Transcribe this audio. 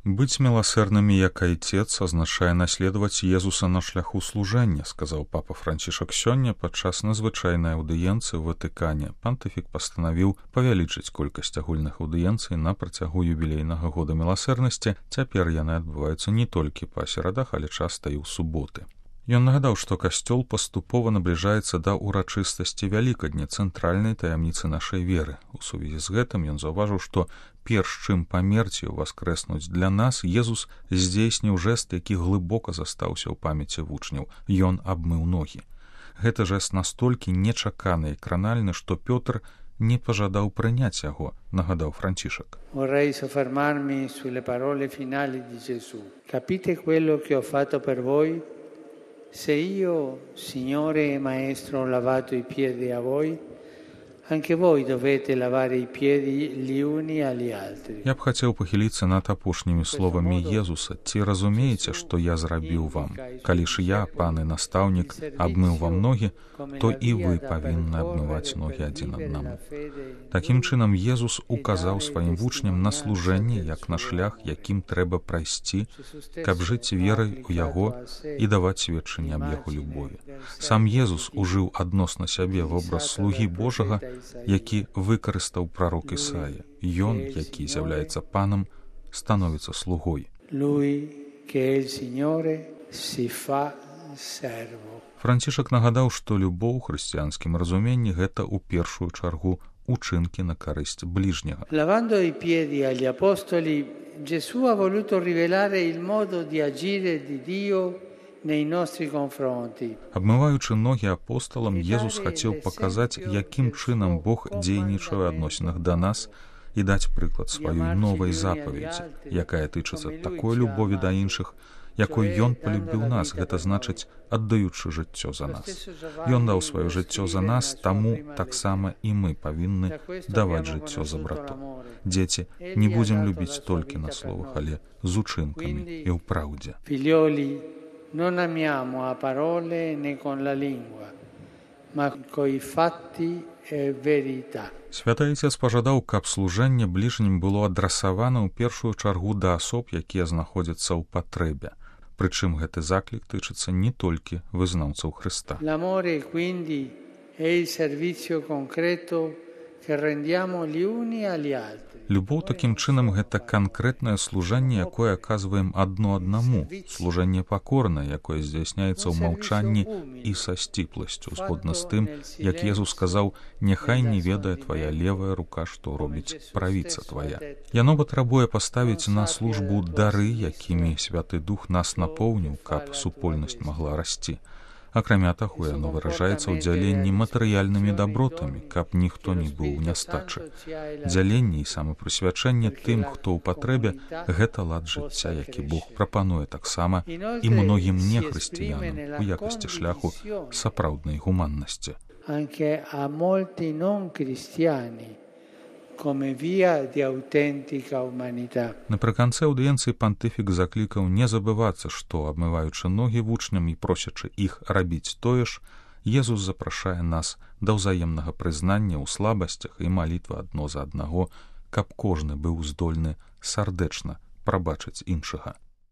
Быть милосердными, як Отец, означае наследовать Езуса на шляху служэння, сказаў папа Францішак сёння падчас надзвычайнай аўдыенцыі ў Ватыкане. Пантыфік пастанавіў павялічыць колькасць агульных аўдыенцый на працягу юбілейнага года міласэрнасці. Цяпер яны адбываюцца не толькі па серадах, але часта і ў суботы. Ён нагадаў, што касцёл паступова набліжаецца да ўрачыстасці Вялікадня, цэнтральнай таямніцы нашай веры. У сувязі з гэтым ён заўважыў, што перш чым памерці ўваскрэснуць для нас, Езус здзейсніў жэст, які глыбока застаўся ў памяці вучняў. Ён абмыў ногі. Гэты жэст настолькі нечаканы і кранальны, што Пётр не пажадаў прыняць яго, нагадаў Францішак. Vorrei soffermarmi sulle parole finali di Gesù. Capite quello che ho fatto per voi? Se io, Signore e Maestro, ho lavato i piedi a voi, anche voi dovete lavare i piedi gli uni agli altri. Я б хацеў пахіліцца над апошнімі словамі Езуса. Ці разумееце, што я зрабіў вам? Калі ж я, пан і настаўнік, абмыў вам ногі, то і вы павінны абмываць ногі адзін аднаму. Такім чынам Езус указаў сваім вучням на служэнне, як на шлях, якім трэба прайсці, каб жыць верай у яго і даваць сведчанне аб яго любові. Сам Езус ужыў адносна сябе вобраз слугі Божага, які выкарыстаў прарок Ісая. Ён, які з'яўляецца панам, становіцца слугой. Францішак нагадаў, што любоў у хрысціянскім разуменні гэта ў першую чаргу учынкі на карысць ближняга. Lavando i piedi agli apostoli, Gesù ha voluto rivelare il modo di agire di Dio nei nostri confronti. Абмываючы ногі апосталам, Езус хацеў паказаць, якім чынам Бог дзейнічае ў адносінах да нас і даць прыклад сваёй новай запаведзі, якая тычыцца такой любові да іншых, якой ён палюбіў нас, гэта значыць, аддаючы жыццё за нас. Ён даў сваё жыццё за нас, таму таксама і мы павінны даваць жыццё за братоў. Дзеці, не будзем любіць толькі на словах, але з учынкамі і ў праўдзе. Non amiamo a parole né con la lingua, ma coi fatti e verità. Святы Отец пажадаў, каб служэнне бліжнім было адрасавана ў першую чаргу да асоб, якія знаходзяцца ў патрэбе. Прычым гэты заклік тычыцца не толькі вызнаўцаў Хрыста. L'amore quindi è il servizio concreto che rendiamo gli uni agli altri. Любоў такім чынам гэта канкрэтнае служэнне, якое аказваем адно аднаму, служэнне пакорнае, якое здзяйсняецца ў маўчанні і са сціпласцю, згодна з тым, як Езус сказаў: «Няхай не ведае твая левая рука, што робіць правіца твая». Яно патрабуе паставіць на службу дары, якімі Святы Дух нас напоўніў, каб супольнасць магла расці. Акрамя таго, яно выражаецца ў дзяленні матэрыяльнымі дабротамі, каб ніхто не быў у нястачы. Дзяленне і самапрысвячэнне тым, хто ў патрэбе, гэта лад жыцця, які Бог прапануе таксама і многім нехрысціянам у якасці шляху сапраўднай гуманнасці. Anche a molti non cristiani come via di autentica umanità. Напрыканцы аўдыенцыі пантыфік заклікаў не забывацца, што, абмываючы ногі вучням і просячы іх рабіць тое ж, Езус запрашае нас да ўзаемнага прызнання ў слабасцях і малітвы адно за аднаго, каб кожны быў здольны сардэчна прабачыць іншага.